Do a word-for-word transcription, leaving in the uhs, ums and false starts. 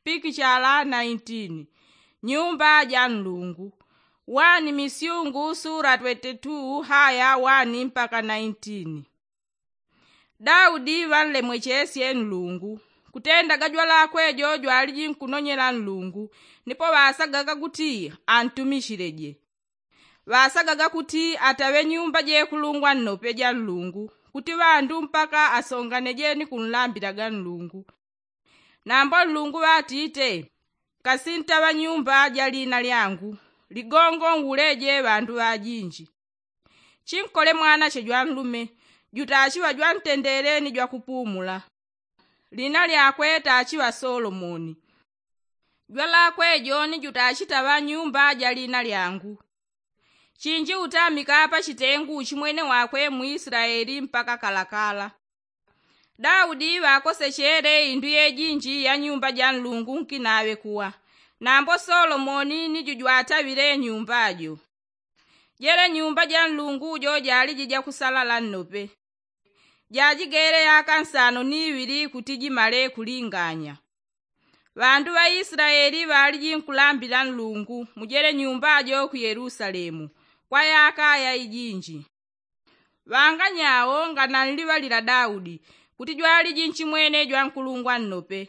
pikichala naintini. Nyumba ja nlungu. Wani misyungu sura twete tu haya wani mpaka naintini. Daudi ŵanlemwechesye nlungu kutenda gajwalakwe jo jwaliji nkunonyela nlungu. Nipo ŵasagaga kuti antumishileje. Ŵasagaga kuti ataŵe nyumba jekulungwa nnope ja nlungu kuti ŵandu mpaka asonganejeni kunlambilaga nlungu. Nambo nlungu ŵatite, kasintaŵa nyumba ja lina lyangu. Ligongo nŵuleje ŵandu ŵajinji. Chinkole mwanache jwanlume jutachiŵa jwantendele ni jwakupumula. Lina lyakwe tachiŵa solomoni. Jwalakwe joni jutachitaŵa nyumba ja lina lyangu. Chinji utamika pachitengu uchimwene wakwe mu islaeli mpaka kalakala. Daudi ŵakosechele indu yejinji ya nyumba ja nlungu nkinaŵe kuwa. Nambo solomoni ni jujwataŵile nyumba jo. Jele nyumba ja nlungu jo jaliji jakusalala nnope. Jajigele yaka nsano ni iŵili kuti jimale kulinganya. Ŵandu ŵa islaeli ŵaliji nkulambila nlungu mujele nyumba jo ku yelusalemu kwa yaka yaijinji. Ŵanganyao ngananliŵalila daudi kuti jwaliji nchimwene jwankulungwa nnope.